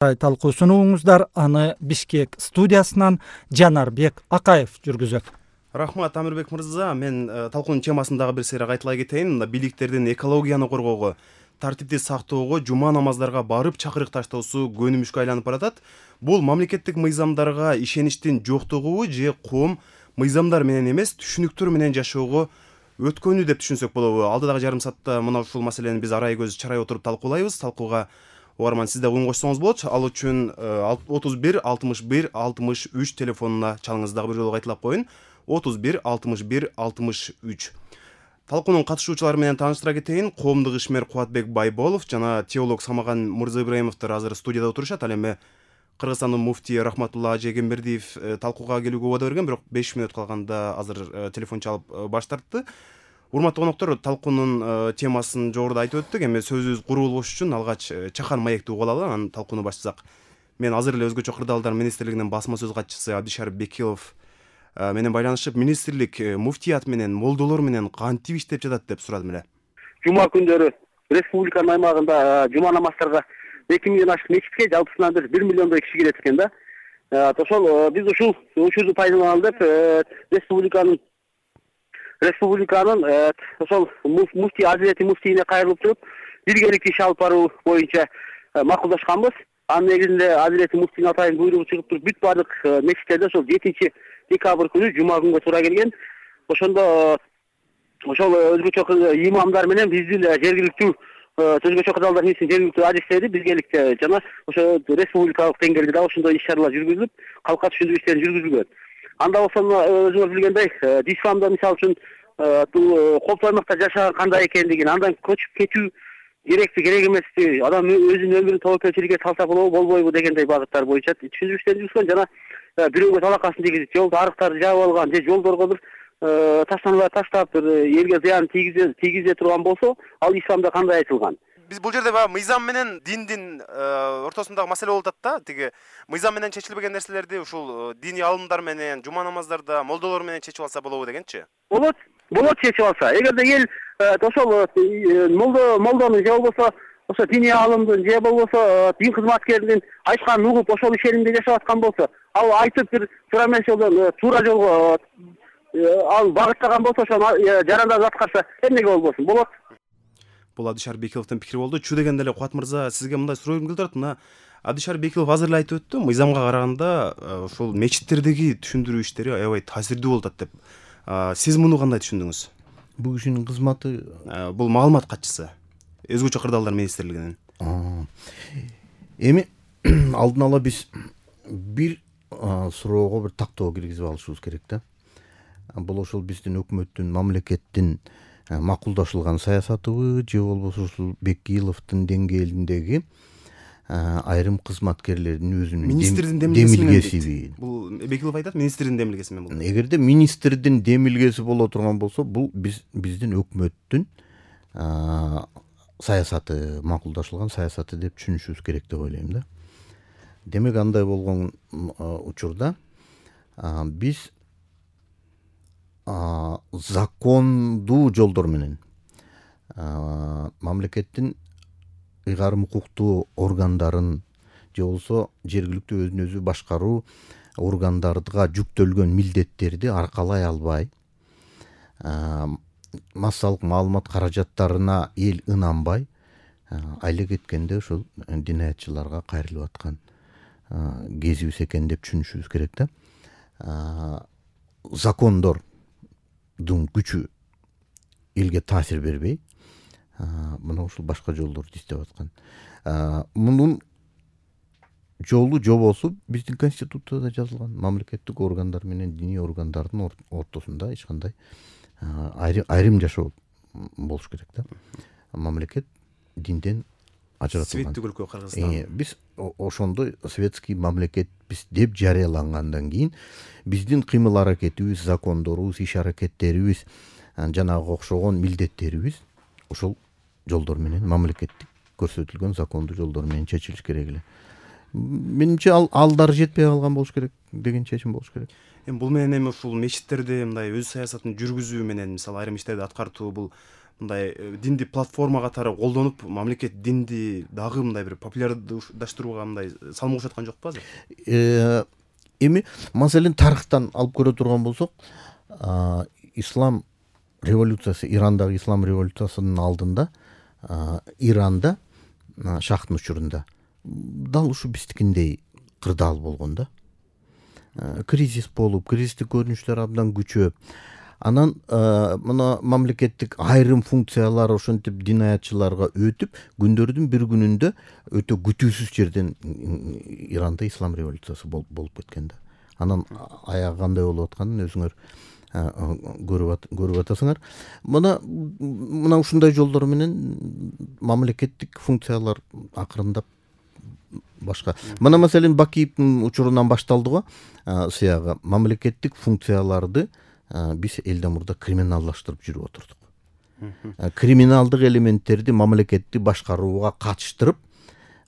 Талкуусун угуңуздар, аны Бишкек студиясынан Жанарбек Акаев жүргүзөт. Рахмат Амирбек мырза, мен талкуунун темасындагы бир сыйра кайталай кетейин. Мында бийликтердин экологияны коргоого, тартипти сактоого, жума намаздарга барып чакырык таштоосу көнүмүшкө айланып баратат. Бул мамлекеттик мыйзамдарга ишеничтин жоктугубу же коом мыйзамдар менен эмес, түшүнүктөр менен жашоого өткөнү деп түшүнсөк болобу? Алдыдагы жарым саатта мына ушул маселени биз арай көз чарай отуруп талкуулайбыз. Талкууга угарман сиз да уюн кошсоңуз болот. Ал үчүн 31 61 63 телефонуна чалыңыз. Дагы бир жолу кайталап коеюн. 31 61 63. Талкуунун катышуучулары менен тааныштыра кетейин. Коомдук ишмер Кубатбек Байболов жана теолог Самаган Мырзаибраимовдор азыр студияда отурушат. Ал эми Кыргызстандын муфтии Рахматулла Ажегембердиев талкууга келүүгө убада берген, бирок 5 мүнөт калганда азыр телефон чалып баш тартты. Урматтуу коноктор, талкуунун темасын жогоруда айтып өттүк. Эми сөзүбүз куру болбош үчүн алгач чакан маекти угуп алалы, анан талкууну баштасак. Мен азыр эле Өзгөчө кырдаалдар министрлигинин басма сөз катчысы Абдишарип Бекилов менен байланышып, министрлик муфтият менен молдолор менен кантип иштеп жатат деп сурадым эле. Жума күндөрү республиканын аймагында жума намаздарга 2 миллион ашык мечитке жалпысынан 1 миллиондой киши келет экен да. Ошол биз ушул учурду пайдаланалы деп республиканын ошол муфтий Азирети муфтийине кайрылып туруп, биргеликте иш алып баруу боюнча макулдашканбыз. Анын негизинде Азирети муфтийдин атайын буйругу чыгып туруп, бүт баардык мечиттерде ошол 7 декабрь күнү жума күнгө туура келген. Ошондо ошол өзгөчө имамдар менен биздин жергиликтүү Өзгөчө кырдаалдар министринин жергиликтүү адистери биргеликте жана ошо республикалык деңгээлде да ошондой иш-чаралар жүргүзүлүп, калкка түшүндүрүү иштери жүргүзүлгөн. Анда болсо өзүңөр билгендей, исламда мисалы үчүн коопсуз аймакта жашаган кандай экендигин, андан көчүп кетүү керекпи, керек эмеспи, адам өзүнүн өмүрүн тобокелчиликке салса болобу, болбойбу дегендей багыттар боюнча түшүндүрүү иштери жүргүзгөн жана бирөөгө талакасын тийгизип, жолдо арыктарды жаап алган же жолдорго бир таштаналар таштап элге зыян тийгизе турган болсо, ал исламда кандай айтылган? Биз бул жерде баягы мыйзам менен диндин ортосундагы маселе болуп атат да. Тиги мыйзам менен чечилбеген нерселерди ушул диний алымдар менен, жума намаздарда молдолор менен чечип алса болобу дегенчи? Болот чечип алса. Эгерде эл ошол молдонун же болбосо ошо диний алымдын же болбосо дин кызматкеринин айтканын угуп ошол ишенимде жашап аткан болсо, ал айтып бир туура эмес жолдон туура жолго ал багыттаган болсо, ошону жарандап аткарса эмнеге болбосун? Болот. Бул Абдишарип Бекиловдун пикири болду. Чү дегенде эле Кубат мырза, сизге мындай суроо келип турат. Мына Абдишарип Бекилов азыр эле айтып өттү, мыйзамга караганда ушул мечиттердеги түшүндүрүү иштери аябай таасирдүү болуп атат деп. Сиз муну кандай түшүндүңүз? Бул кишинин кызматы, бул маалымат катчысы Өзгөчө кырдаалдар министрлигинин. Эми алдын ала биз бир суроого бир тактоо киргизип алышыбыз керек да. Бул ошол биздин өкмөттүн, мамлекеттин макулдашылган саясатыбы же болбосо ушул Бекиловдун деңгээлиндеги айрым кызматкерлердин өзүнүн демилгесиби? Бул Бекилов айтат, министрдин демилгеси менен бул. Эгерде министрдин демилгеси боло турган болсо, бул биздин өкмөттүн саясаты, макулдашылган саясаты деп түшүнүшүбүз керек деп ойлойм да. Демек андай болгон учурда биз закондуу жолдор менен мамлекеттин ыйгарым укуктуу органдарын же болбосо жергиликтүү өзүн өзү башкаруу органдарга жүктөлгөн милдеттерди аркалай албай, массалык маалымат каражаттарына эл ынанбай айла кеткенде ушул динаятчыларга кайрылып аткан кезибиз экен деп түшүнүшүбүз керек да. Закондордун күчү элге таасир бербей, мына ушул башка жолдорду издеп аткан. Мунун жолу жобосу биздин конституцияда жазылган. Мамлекеттик органдар менен диний органдардын ортосунда эч кандай айрым жашоо болуш керек да. Мамлекет динден ажыратылган. Светтик өлкө Кыргызстан. Биз ошондой светский мамлекетпиз деп жарыялангандан кийин биздин кыймыл аракетибиз, закондорубуз, иш аракеттерибиз, жанагы окшогон милдеттерибиз ошол жолдор менен, мамлекеттик көрсөтүлгөн закондуу жолдор менен чечилиш керек эле. Менимче алдар жетпей калган болуш керек деген чечим болуш керек. Бул менен эми ушул мечиттерде мындай өз саясатын жүргүзүү менен, мисалы айрым иштерди аткартуу, бул мындай динди платформа катары колдонуп мамлекет динди дагы мындай бир популярдаштырууга мындай салым кошуп жокпу азыр? Эми маселен тарыхтан алып көрө турган болсок, ислам революциясы, Ирандагы ислам революциясынын алдында Иранда шахтын учурунда дал ушу биздикиндей кырдаал болгон да. Кризис болуп, кризистик көрүнүштөр абдан күчөп, анан мына мамлекеттик айрым функциялар ошентип динаятчыларга өтүп, күндөрдүн бир күнүндө өтө күтүүсүз жерден Иранда ислам революциясы болуп кеткен да. Анан аягы кандай болуп атканын өзүңөр көрүп атасыңар. Мына ушундай жолдор менен мамлекеттик функциялар акырындап башка. Мына маселен Бакиевдин учурунан башталды го, сыягы мамлекеттик функцияларды биз элден мурда криминалдаштырып жүрүп отурдук. Криминалдык элементтерди мамлекетти башкарууга катыштырып,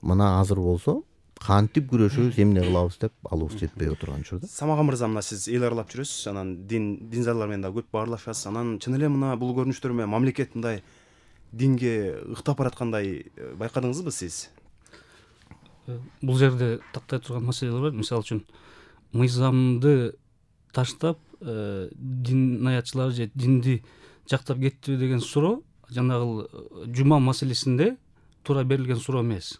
мына азыр болсо кантип күрөшөбүз, эмне кылабыз деп алыбыз жетпей отурган учурда. Самага мырза, мына сиз эл аралап жүрөсүз, анан динзарлар менен да көп баарлашасыз. Анан чын эле мына бул көрүнүштөр менен мамлекет мындай динге ыктап бараткандай байкадыңызбы сиз? Бул жерде тактай турган маселелер бар. Мисалы үчүн мыйзамды таштап динаятчылар же динди жактап кеттиби деген суроо жанагы жума маселесинде туура берилген суроо эмес.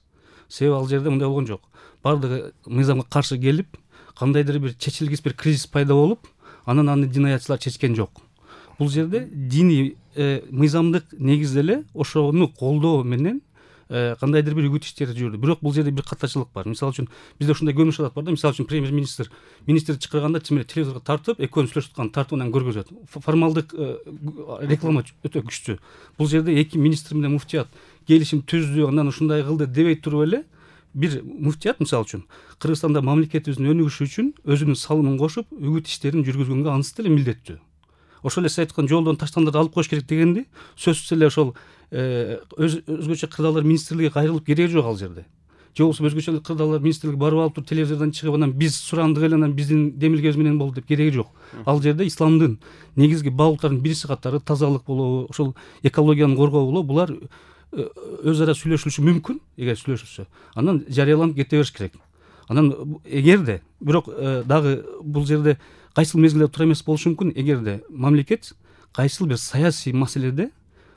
Себеби ал жерде мындай болгон жок. Бардыгы мыйзамга каршы келип, кандайдыр бир чечилгис бир кризис пайда болуп, анан аны динаятчылар чечкен жок. Бул жерде диний мыйзамдык негизде эле ошону колдоо менен кандайдыр бир үгүт иштери жүрдү. Бирок бул жерде бир катачылык бар. Мисалы үчүн бизде ушундай көрүнүш алат бар да. Мисалы үчүн премьер-министр министрди чакырганда чын эле телевизорго тартып, экөөнүн сүйлөшүп аткан тартууынан көргөзөт. Формалдык реклама өтө күчтүү. Бул жерде эки министр менен муфтият келишим түздү, андан ушундай кылды дебей туруп эле бир муфтият мисалы үчүн Кыргызстанда мамлекетибиздин өнүгүшү үчүн өзүнүн салымын кошуп, үгүт иштерин жүргүзгөнгө анысы деле милдеттүү. Ошол эле сиз айткан жолдон таштандарды алып коюш керек дегенди сөзсүз эле ошол өзгөчө кырдаалдар министрлиги кайрылып кереги жок ал жерде. Же болбосо өзгөчө кырдаалдар министрлиги барып алып туруп телевизордон чыгып анан биз сурандык эле анан биздин демилгебиз менен болду деп кереги жок. Ал жерде исламдын негизги багыттарынын бириси катары тазалык болобу, ошол экологияны коргоо болобу, булар өз ара сүйлөшүлүшү мүмкүн. Эгер сүйлөшүлсө, анан жарыяланып кете бериш керек. Анан эгерде бирок дагы бул жерде кайсыл мезгилде туура эмес болушу мүмкүн. Эгерде мамлекет кайсыл бир саясий маселеде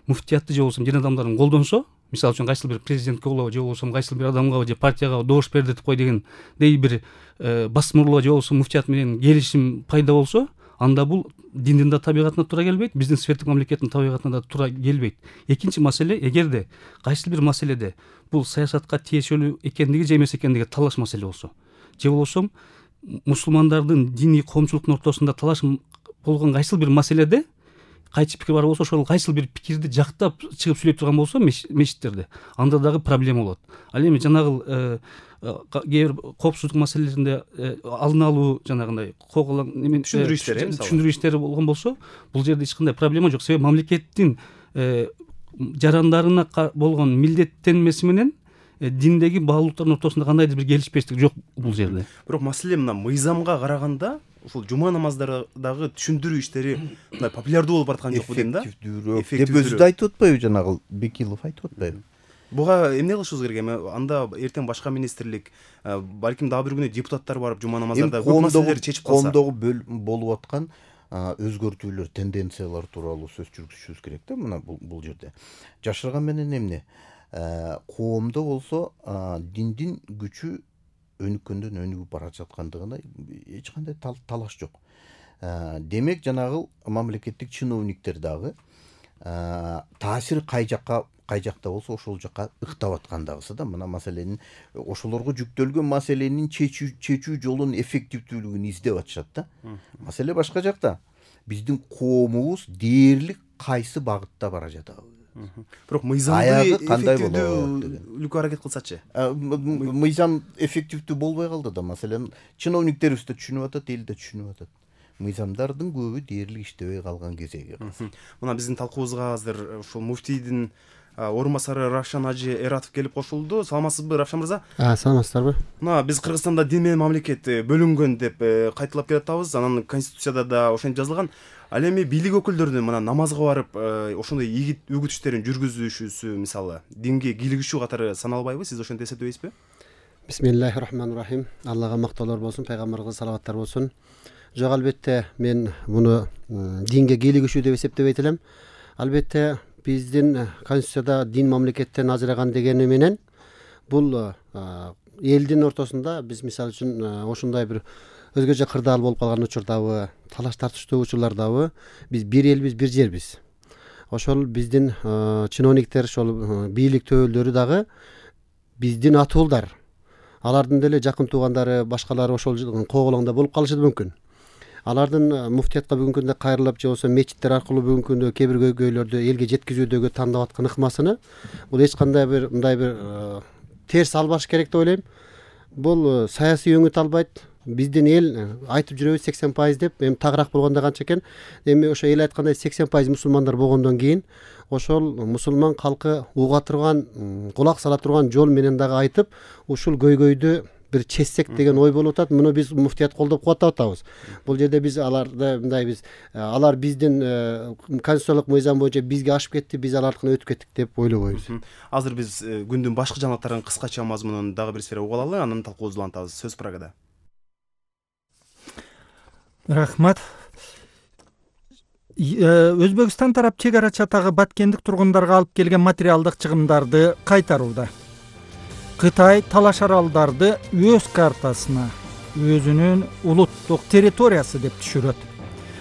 муфтиятты же болбосо дин адамдарын колдонсо, мисалы үчүн кайсыл бир президентке болобу же болбосо кайсыл бир адамга же партияга добуш бердетип кой дегендей бир басмырлоо же болбосо муфтият менен келишим пайда болсо, анда бул диндин да табигатына туура келбейт, биздин светтик мамлекеттин табигатына да туура келбейт. Экинчи маселе, эгерде кайсыл бир маселеде бул саясатка тиешелүү экендиги же эмес экендиги талаш маселе болсо, же болбосо мусулмандардын диний коомчулуктун ортосунда талаш болгон кайсыл бир маселеде кайчы пикир бар болсо, ошол кайсыл бир пикирди жактап чыгып сүйлөй турган болсо мешиттерде, анда дагы проблема болот. Ал эми жанагы кээ бир коопсуздук маселелеринде алдын алуу жанагындай түшүндүрүү иштери болгон болсо, бул жерде эч кандай проблема жок. Себеби мамлекеттин жарандарына болгон милдеттенмеси менен диндеги баалуулуктардын ортосунда кандайдыр бир келишпештик жок бул жерде. Бирок маселе мына мыйзамга караганда ушул жума намаздардагы түшүндүрүү иштери мындай популярдуу болуп бараткан жокпу дейм да. Эффективдүүрөөк деп өзү да айтып атпайбы, жанагы Бекилов айтып атпайбы? Буга эмне кылышыбыз керек? Эми анда эртең башка министрлик, балким дагы бир күнү депутаттар барып жума намаздарда көп маселелерди чечип калса. Коомдогу болуп аткан өзгөртүүлөр, тенденциялар тууралуу сөз жүргүзүшүбүз керек да. Мына бул жерде жашырган менен эмне? Коомдо болсо диндин күчү өнүккөндөн өнүгүп бара жаткандыгына эч кандай талаш жок. Демек жанагы мамлекеттик чиновниктер дагы таасир кай жакта болсо ошол жакка ыктап аткандагысы да. Мына маселенин ошолорго жүктөлгөн маселенин чечүү жолун, эффективдүүлүгүн издеп атышат да. Маселе башка жакта. Биздин коомубуз дээрлик кайсы багытта бара жатабы? Бирок мыйзамды эффективдүүлүккө аракет кылсачы. Мыйзам эффективдүү болбой калды да. Маселен чиновниктерибиз да түшүнүп атат, эл да түшүнүп атат. Мыйзамдардын көбү дээрлик иштебей калган кезеги. Мына биздин талкуубузга азыр ушул муфтийдин орун басары Равшан Ажи Эратов келип кошулду. Саламатсызбы, Равшан мырза? Саламатсыздарбы? Мына биз Кыргызстанда дин менен мамлекет бөлүнгөн деп кайталап келатабыз. Анан Конституцияда да ошентип жазылган. Ал эми бийлик өкүлдөрүнүн мына намазга барып ошондой ийгит үгүт иштерин жүргүзүшүсү мисалы динге кийлигишүү катары саналбайбы? Сиз ошентип эсептебейсизби? Бисмиллахир-рахманир-рахим. Аллага мактоолор болсун, пайгамбарыбызга салаваттар болсун. Жок, албетте мен муну динге кийлигишүү деп эсептебейт элем. Албетте биздин Конституцияда дин мамлекеттен ажыраган дегени менен бул элдин ортосунда биз мисалы үчүн ошондой бир өзгөчө кырдаал болуп калган учурдабы, талаш тартыштуу учурлардабы биз бир элбиз, бир жербиз. Ошол биздин чиновниктер, ошол бийлик төөлдөрү дагы биздин ата уулдар. Алардын деле жакын туугандары, башкалары ошол коголоңдо болуп калышы да мүмкүн. Алардын муфтиятка бүгүнкү күндө кайрылып же болбосо мечиттер аркылуу бүгүнкү күндө кээ бир көйгөйлөрдү элге жеткизүүдөгү тандап аткан ыкмасыны бул эч кандай бир мындай бир терс албаш керек деп ойлойм. Бул саясий өңүт албайт. Биздин эл айтып жүрөбүз 80% деп, эми тагыраак болгондо канча экен? Эми ошо эл айткандай 80% мусулмандар болгондон кийин ошол мусулман калкы уга турган, кулак сала турган жол менен дагы айтып, ушул көйгөйдү бир чечсек деген ой болуп атат. Муну биз муфтият колдоп кубаттап атабыз. Бул жерде биз аларды мындай биз алар биздин конституциялык мыйзам боюнча бизге ашып кетти, биз алардыкына өтүп кеттик деп ойлобойбуз. Азыр биз күндүн башкы жаңылыктарын кыскача мазмунун дагы бир сфера угуп алалы, анан талкуубузду улантабыз. Сөз Прагада. Рахмат. Өзбекстан тарап чек ара чатагы баткендик тургундарга алып келген материалдык чыгымдарды кайтарууда. Кытай талаш аралдарды өз картасына, өзүнүн улуттук территориясы деп түшүрөт.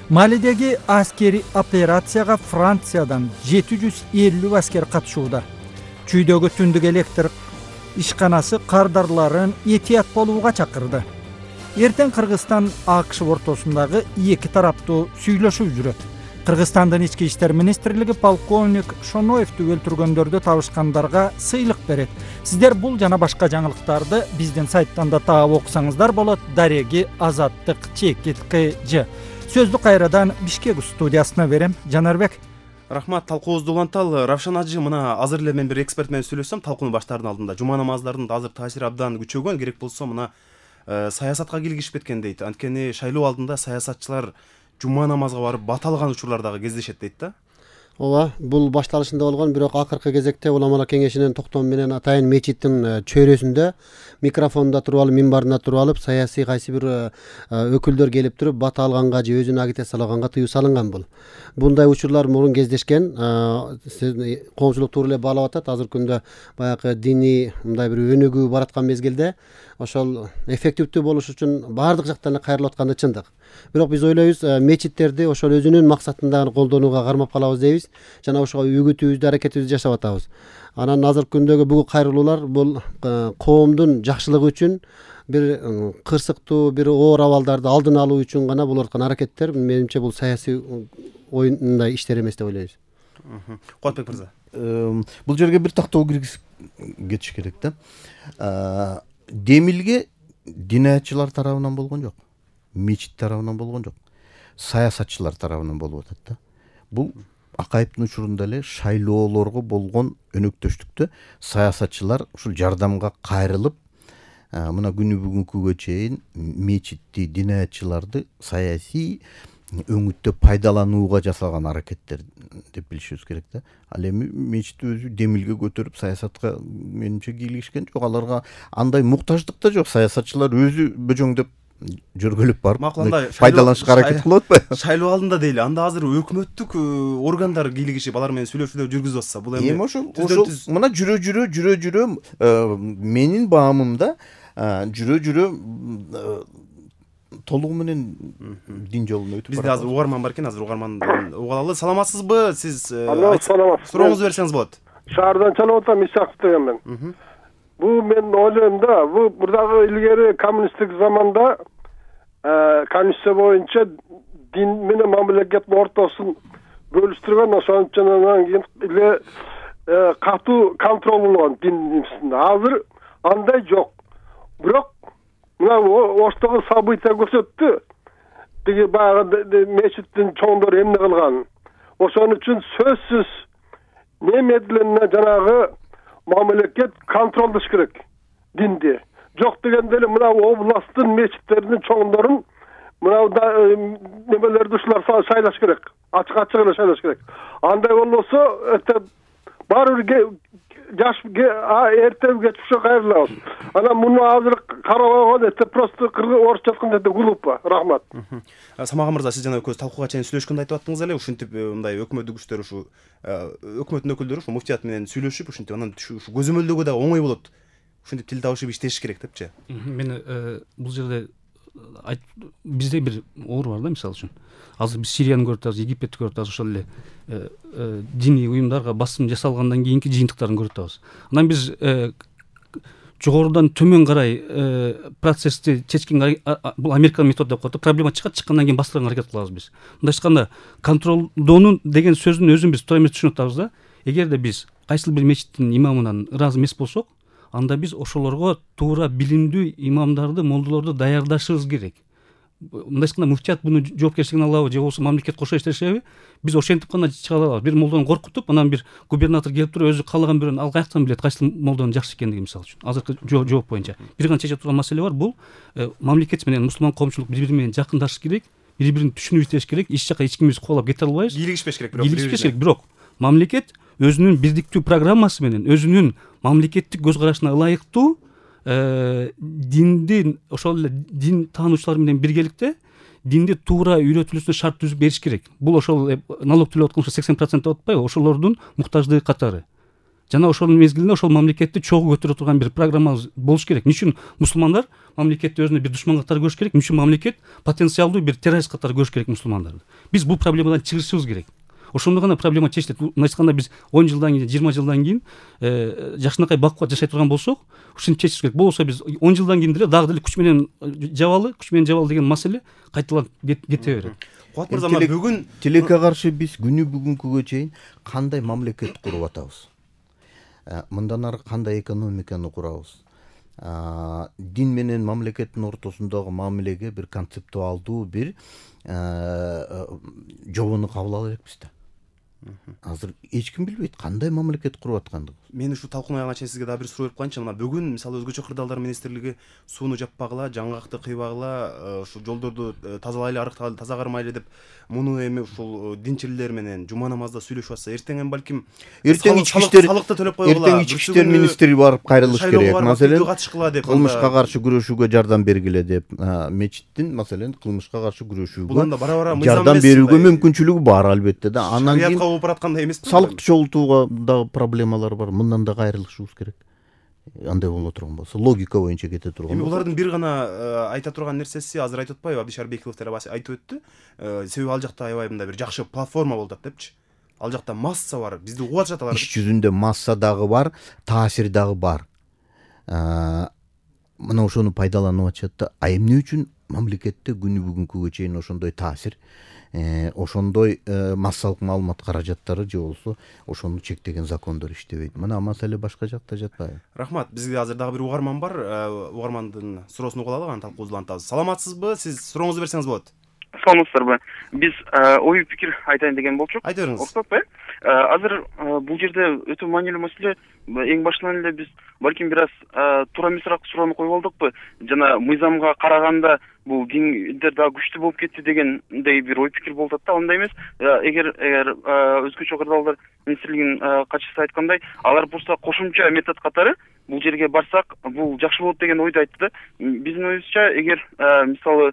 Малидеги аскери операцияга Франциядан 750 аскер катышууда. Чүйдөгү түндүк электр ишканасы кардарларын этият болууга чакырды. Эртең Кыргызстан АКШ ортосундагы эки тараптуу сүйлөшүү жүрөт. Кыргызстандын ички иштер министрлиги полковник Шоноевду өлтүргөндөрдү табышкандарга сыйлык берет. Сиздер бул жана башка жаңылыктарды биздин сайттан да таап окусаңыздар болот. Дареги Азаттык ЧКТЖ. Сөздү кайрадан Бишкек студиясына берем. Жанарбек. Рахмат, талкуубузду уланталы. Равшан Ажи, мына азыр эле мен бир эксперт менен сүйлөшсөм, талкууну баштаардын алдында жума намаздардын азыр таасири абдан күчөгөн, керек болсо мына саясатка кийлигишип кеткен дейт. Анткени шайлоо алдында саясатчылар жума намазга барып бат алган учурлар дагы кездешет дейт да. Ооба, бул башталышында болгон, бирок акыркы кезекте уламалар кеңешинин токтому менен атайын мечиттин чөйрөсүндө микрофондо туруп алып, минбарында туруп алып, саясий кайсы бир өкүлдөр келип туруп бат алганга же өзүнө агитациялаганга тыюу салынган бул. Bunday учурлар мурун кездешкен. Коомчулук туура эле баалап атат. Азыркы күндө баягы диний мындай бир өнүгүү бараткан мезгилде ошол эффективдүү болуш үчүн баардык жактан кайрылып атканы чындык. Бирок биз ойлойбуз, мечиттерди ошол өзүнүн максатында колдонууга кармап калабыз дейбиз. Жана ошого үгүтүбүздү, аракетибизди жашап атабыз. Анан азыркы күндөгү бүгүн кайрылуулар бул коомдун жакшылыгы үчүн, бир кырсыктуу, бир оор абалдарды алдын алуу үчүн гана болуп аткан аракеттер. Менимче бул саясий оюндай иштер эмес деп ойлойбуз. Куатбек мырза. Бул жерге бир тактоо киргизип кетиш керек да. Демилге динаятчылар тарабынан болгон жок, мечит тарабынан болгон жок, саясатчылар тарабынан болуп атат да. Бул Акаевдин учурунда эле шайлоолорго болгон өнөктөштүктө саясатчылар ушул жардамга кайрылып, мына күнү бүгүнкүгө чейин мечитти, динаятчыларды саясий өңүттө пайдаланууга жасалган аракеттер деп билишибиз керек да. Ал эми мечит өзү демилге көтөрүп саясатка менимче кийлигишкен жок. Аларга андай муктаждык да жок. Саясатчылар өзү бөжөңдөп жөргөлүп барып пайдаланышка аракет кылып атпайбы? Шайлоо алдында дейли, анда азыр өкмөттүк органдар кийлигишип алар менен сүйлөшүүлөр жүргүзүп атса, бул эми ошол мына жүрө менин баамымда жүрө толугу менен дин жолуна өтүп бизде азыр угарман бар экен, азыр угарманды уга алалы. Саламатсызбы? Сиз саламатсыз. Сурооңузду берсеңиз болот. Шаардан чалып атам, Исаков деген мен. Бул мен ойлойм да, бул мурдагы илгери коммунисттик заманда конституция боюнча дин менен мамлекеттин ортосун бөлүштүргөн, ошон үчүн анан кийин эле катуу контроль болгон дин үстүндө. Азыр андай жок. Бирок мына оштогу события көрсөттү. Тиги баягы мечиттин чоңдору эмне кылган. Ошон үчүн сөзсүз немедленне жанагы мамлекет контролдош керек динди. Жок дегенде эле мына областтын мечиттеринин чоңдорун мына немелерди ушулар шайлаш керек. Ачык эле шайлаш керек. Андай болбосо баары бир жаш эртеби кеч ушо кайрылабыз. Анан муну азыр карабаган просто орусча айтканда глупо. Рахмат. Самага мырза, сиз жана экөөбүз талкууга чейин сүйлөшкөндө айтып аттыңыз эле, ушинтип мындай өкмөт күчтөр ушу өкмөттүн өкүлдөрү ушу муфтият менен сүйлөшүп, ушинтип анан ушу көзөмөлдөгө да оңой болот. Ушинтип тил табышып иштеш керек депчи. Мен бул жерде бизде бир оор бар да, мисалы үчүн. Азыр биз Сирияны көрүп атабыз, Египетти көрүп атабыз, ошол эле диний уюмдарга басым жасалгандан кийинки жыйынтыктарын көрүп атабыз. Анан биз жогорудан төмөн карай процессти чечкен, бул Американын методу деп коет, проблема чыккандан кийин бастырганга аракет кылабыз биз. Мындайча айтканда, контролдоонун деген сөздүн өзүн биз туура эмес түшүнүп атабыз да. Эгерде биз кайсыл бир мечиттин имамынан ыраазы эмес болсок, анда биз ошолорго туура билимдүү имамдарды, молдолорду даярдашыбыз керек. Мындайча айтканда, муфтият буну жоопкерчилигин алабы же болбосо мамлекет кошо иштешеби? Биз ошентип гана чыга алабыз. Бир молдону коркутуп, анан бир губернатор келип туруп өзү каалаган бирөөнү ал каяктан билет кайсыл молдонун жакшы экендиги, мисалы үчүн. Азыркы жооп боюнча бир гана чече турган маселе бар. Бул мамлекет менен мусулман коомчулук бири-бири менен жакындашыш керек, бири-бирин түшүнүп иштеш керек. Эч жака эч кимибиз кубалап кете албайбыз. Кийлигишпеш керек, бирок мамлекет өзүнүн бирдиктүү программасы менен, өзүнүн мамлекеттик көз карашына ылайыктуу диндин, ошол эле дин таануучулар менен биргеликте динди туура үйрөтүлүүсүнө шарт түзүп бериш керек. Бул ошол налог төлөп аткан 80% деп атпайбы, ошолордун муктаждыгы катары. Жана ошонун мезгилинде ошол мамлекетти чогуу көтөрө турган бир программа болуш керек. Эмне үчүн мусулмандар мамлекетти өзүнө бир душман катары көрүш керек? Эмне үчүн мамлекет потенциалдуу бир террорист катары көрүш керек мусулмандарды? Биз бул проблемадан чыгышыбыз керек. Ошондо гана проблема чечилет. Мындайча айтканда, биз 10 жылдан кийин, 20 жылдан кийин жакшынакай бакубат жашай турган болсок, ушуну чечиш керек. Болбосо биз 10 жылдан кийин деле дагы деле күч менен жабалы деген маселе кайталанып кете берет. Кубат мырза, бүгүн тилекке каршы биз күнү бүгүнкүгө чейин кандай мамлекет куруп атабыз? Мындан ары кандай экономиканы курабыз? Дин менен мамлекеттин ортосундагы мамилеге бир концептуалдуу бир жобону кабыл ала элекпиз да. Азыр эч ким билбейт кандай мамлекет куруп аткандыгын. Мен ушу талкуун аягына чейин сизге дагы бир суроо берип коеюнчу. Мына бүгүн мисалы өзгөчө кырдаалдар министрлиги сууну жаппагыла, жаңгакты кыйбагыла, ушу жолдорду тазалайлы, арыктайлы, таза кармайлы деп муну эми ушул динчилер менен жума намазда сүйлөшүп атса, эртең балким салыкты төлөп койгула. Эртең ички иштер министри барып кайрылыш керек. Маселен, катышкыла деп, кылмышка каршы күрөшүүгө жардам бергиле деп, мечиттин маселен кылмышка каршы күрөшүүгө жардам берүүгө мүмкүнчүлүгү бар албетте да. Анан кийин бараткандай эмеспи? Салыкты чогултууга дагы проблемалар бар. Мындан да кайрылышыбыз керек. Андай боло турган болсо, логика боюнча кете турган болсо. Эми булардын бир гана айта турган нерсеси азыр айтып атпайбы, Абдишар Бекилов айтып өттү. Себеби ал жакта аябай мындай бир жакшы платформа болуп атат депчи. Ал жакта масса бар, бизди угуп атышат алар. Иш жүзүндө масса дагы бар, таасир дагы бар. Мына ошону пайдаланып атышат да. Эмне үчүн мамлекетте күнү бүгүнкүгө чейин ошондой таасир, ошондой массалык маалымат каражаттары же болбосо ошону чектеген закондор иштебейт? Мына маселе башка жакта жатпайбы? Рахмат. Бизде азыр дагы бир угарман бар. Угармандын суроосун угуп алалы, анан талкуубузду улантабыз. Саламатсызбы? Сиз сурооңузду берсеңиз болот. Саламатсыздарбы? Биз ой пикир айтайын деген болчук. Айта бериңиз. Окутпайбы? Азыр бул жерде өтө маанилүү маселе. Эң башынан эле биз балким бир аз туура эмесирээк суроону коюп алдыкпы? Жана мыйзамга караганда бул диндер дагы күчтүү болуп кетти дегендей бир ой пикир болуп атат да. Андай эмес. Эгер өзгөчө кырдаалдар министрлигинин катчысы айткандай, алар просто кошумча метод катары бул жерге барсак, бул жакшы болот деген ойду айтты да. Биздин оюбузча, эгер мисалы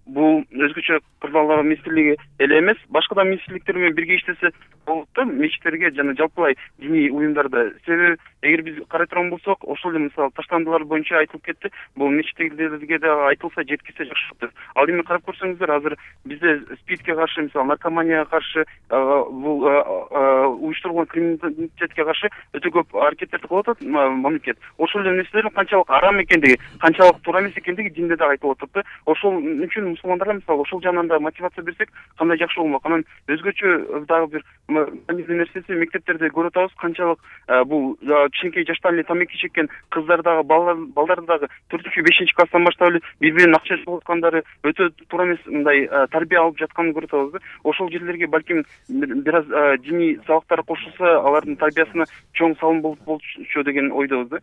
бул өзгөчө кырдаалдар министрлиги эле эмес, башка да министрликтер менен бирге иштесе болот да, мечиттерге жана жалпылай диний уюмдарда. Себеби эгер биз карай турган болсок, ошол эле мисалы таштандылар боюнча айтылып кетти. Бул мечиттерге да айтылса, жеткизсе жакшы болот. Ал эми карап көрсөңүздөр, азыр бизде СПИДке каршы, мисалы наркоманияга каршы, бул уюштурулган криминалитетке каршы өтө көп аракеттерди кылып атат мамлекет. Ошол эле нерселердин канчалык арам экендиги, канчалык туура эмес экендиги динде да айтылып атат да. Ошол үчүн мусулмандарга мисалы ошол жагынан да мотивация берсек, кандай жакшы болмок. Анан өзгөчө дагы бир маңыздуу нерсеси мектептерде көрүп атабыз канчалык бул кичинекей жаштан эле тамеки чеккен кыздар дагы балдар дагы 4-5 класстан баштап эле бири бирин акча чогулуп аткандары өтө туура эмес мындай тарбия алып жатканын көрүп атабыз да. Ошол жерлерге балким бир аз диний сабактар кошулса алардын тарбиясына чоң салым болчу деген ойдобуз да.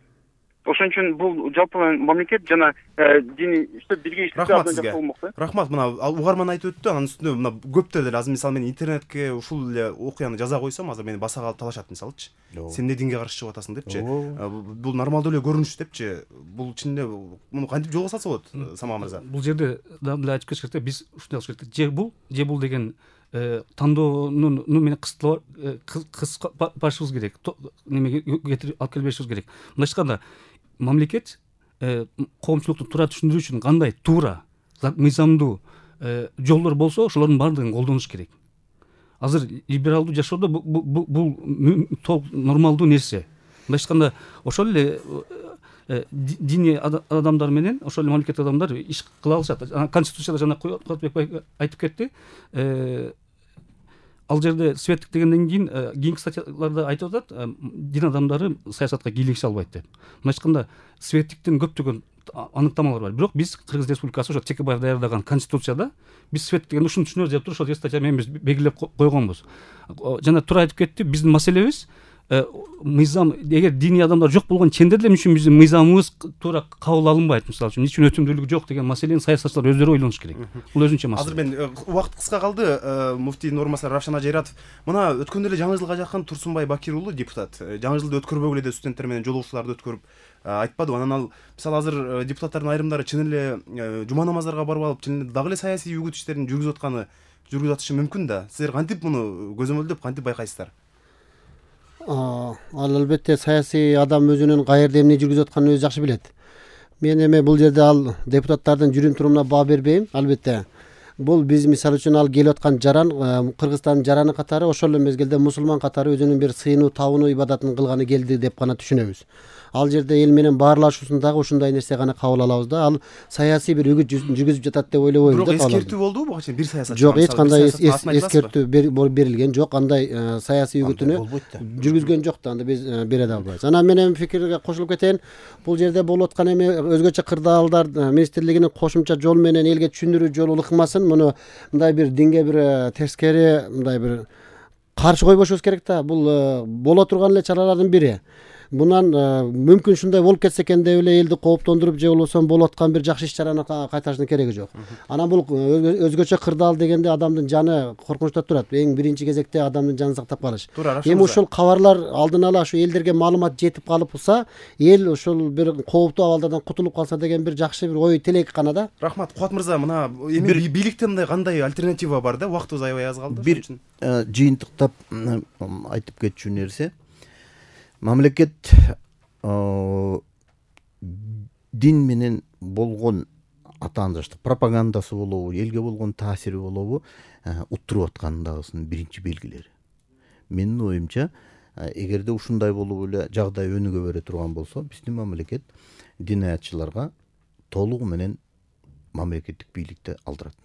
Ошон үчүн бул жалпы мамлекет жана диний иштеп бирге иштеп рахмат сизге. Рахмат, мына угарман айтып өттү, анын үстүнө мына көптөр деле азыр мисалы мен интернетке ушул эле окуяны жаза койсом азыр мени баса калып талашат мисалычы. Сен эмне динге каршы чыгып атасың депчи. Бул нормалдуу эле көрүнүш депчи. Бул чынында муну кантип жолго салса болот, Самал мырза? Бул жерде дагы айтып кетиш керек да, биз ушундай кылыш керек. Же бул деген тандоонун менен кыскартышыбыз керек. Немеге алып келбешибиз керек. Мындайча айтканда мамлекет коомчулукту туура түшүндүрүү үчүн кандай туура мыйзамдуу жолдор болсо ошолордун баардыгын колдонуш керек. Азыр либералдуу жашоодо бул толук нормалдуу нерсе. Мындайча айтканда ошол эле диний адамдар менен ошол эле мамлекет адамдар иш кыла алышат. Конституцияда жана Кубатбек айтып кетти. Ал жерде светтик дегенден кийинки статьяларда айтып атат, дин адамдары саясатка кийлигише албайт деп. Мындайча айтканда светтиктин көптөгөн аныктамалары бар. Бирок биз Кыргыз Республикасы ошо Текебаев даярдаган конституцияда биз светтик дегенди ушуну түшүнөбүз деп туруп ошол статья менен биз белгилеп койгонбуз. Жана туура айтып кетти, биздин маселебиз мыйзам, эгер диний адамдар жок болгон ченде деле үчүн биздин мыйзамыбыз туура кабыл алынбайт. Мисалы үчүн үчүн өтүмдүүлүк жок деген маселени саясатчылар өздөрү ойлонуш керек. Бул өзүнчө маселе. Азыр мен убакыт кыска калды. Муфтийдин орун басары Равшан Ажайратов мына өткөндө эле жаңы жылга жакын Турсунбай Бакир уулу депутат жаңы жылды өткөрбөгүлө деп студенттер менен жолугушууларды өткөрүп айтпадыбы. Анан ал мисалы азыр депутаттардын айрымдары чын эле жума намаздарга барып алып чын эле дагы эле саясий үгүт иштерин жүргүзүп атышы мүмкүн да. Силер кантип муну көзөмөлдөп кантип байкайсыздар? Ал албетте саясий адам өзүнүн каерде эмне жүргүзүп атканын өзү жакшы билет. Мен эми бул жерде ал депутаттардын жүрүм турумуна баа бербейм. Албетте бул биз мисалы үчүн ал келип аткан жаран Кыргызстандын жараны катары, ошол эле мезгилде мусулман катары өзүнүн бир сыйынуу табынуу ибадатын кылганы келди деп гана түшүнөбүз. Ал жерде эл менен баарлашуусундагы ушундай нерсе гана кабыл алабыз да. Ал саясий бир үгүт жүргүзүп жатат деп ойлобойбуз да. Бирок эскертүү болдубу буга чейин бир саясатчы? Жок, эч кандай эскертүү берилген жок. Андай саясий үгүтүнү жүргүзгөн жок да. Анда биз бере да албайбыз. Анан менин пикирге кошулуп кетейин. Бул жерде болуп аткан эми өзгөчө кырдаалдар министрлигинин кошумча жол менен элге түшүндүрүү жолу ыкмасын. Муну мындай бир динге бир тескери мындай бир каршы койбошубуз керек да. Бул боло турган эле чаралардын бири. Мунан мүмкүн ушундай болуп кетсе экен деп эле элди кооптондуруп же болбосо болуп аткан бир жакшы иш чараны кайтаруштун кереги жок. Анан бул өзгөчө кырдаал дегенде адамдын жаны коркунучта турат. Эң биринчи кезекте адамдын жанын сактап калыш. Эми ушул кабарлар алдын ала ушу элдерге маалымат жетип калыпса, эл ушул бир кооптуу абалдардан кутулуп калса деген бир жакшы бир ой тилек гана да. Рахмат Кубат мырза, мына эми бийликте мындай кандай альтернатива бар да? Убактыбыз аябай аз калды. Бир жыйынтыктап айтып кетчү нерсе. Мамлекет дин менен болгон атаандыштык пропагандасы болобу, элге болгон таасири болобу уттуруп аткандагысынын биринчи белгилери. Менин оюмча, эгерде ушундай болуп эле жагдай өнүгө бере турган болсо, биздин мамлекет динаятчыларга толугу менен мамлекеттик бийликти алдырат.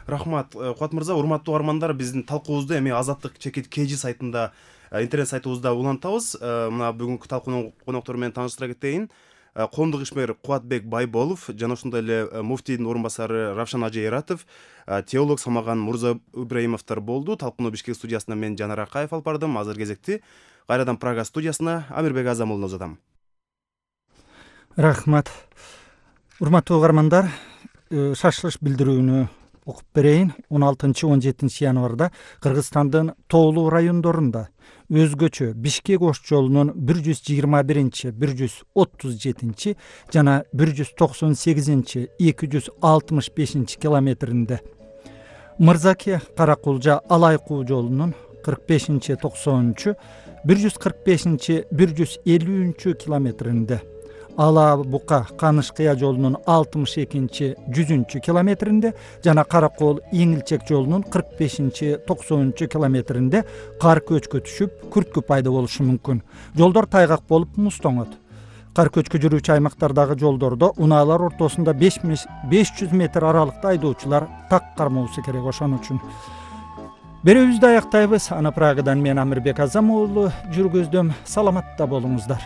Рахмат Кубат мырза. Урматтуу угармандар, биздин талкуубузду эми Азаттык КЖ сайтында интернет сайтыбызда улантабыз. Мына бүгүнкү талкуунун коноктору менен тааныштыра кетейин. Коомдук ишмер Кубатбек Байболов жана ошондой эле муфтийдин орун басары Равшан Ажайратов, теолог Самаган Мурза Ибраимовдор болду. Талкууну Бишкек студиясынан мен Жанар Акаев алып бардым. Азыр кезекти кайрадан Прага студиясына Амирбек Азам уулуна узатам. Рахмат. Урматтуу угармандар, шашылыш билдирүүнү окуп берейин. 16-17 январда Кыргызстандын тоолуу райондорунда өзгөчө Бишкек Ош жолунун 121, 137 жана 198, 265 километринде, Мырзаке Каракулжа Алайкуу жолунун 45, 90, 145, 150 километринде, Ала Бука Канышкыя жолунун 62, 100 километринде жана Каракол Эңилчек жолунун 45, 90 километринде кар көчкө түшүп, күрткү пайда болушу мүмкүн. Жолдор тайгак болуп муздоңот. Кар көчкө жүрүүчү аймактардагы жолдордо унаалар ортосунда 500 метр аралыкта айдоочулар так кармоосу керек. Ошон үчүн Берүүбүздү аяктайбыз. Ана Прагадан мен Амирбек Азам уулу жүргүздүм. Саламатта болуңуздар.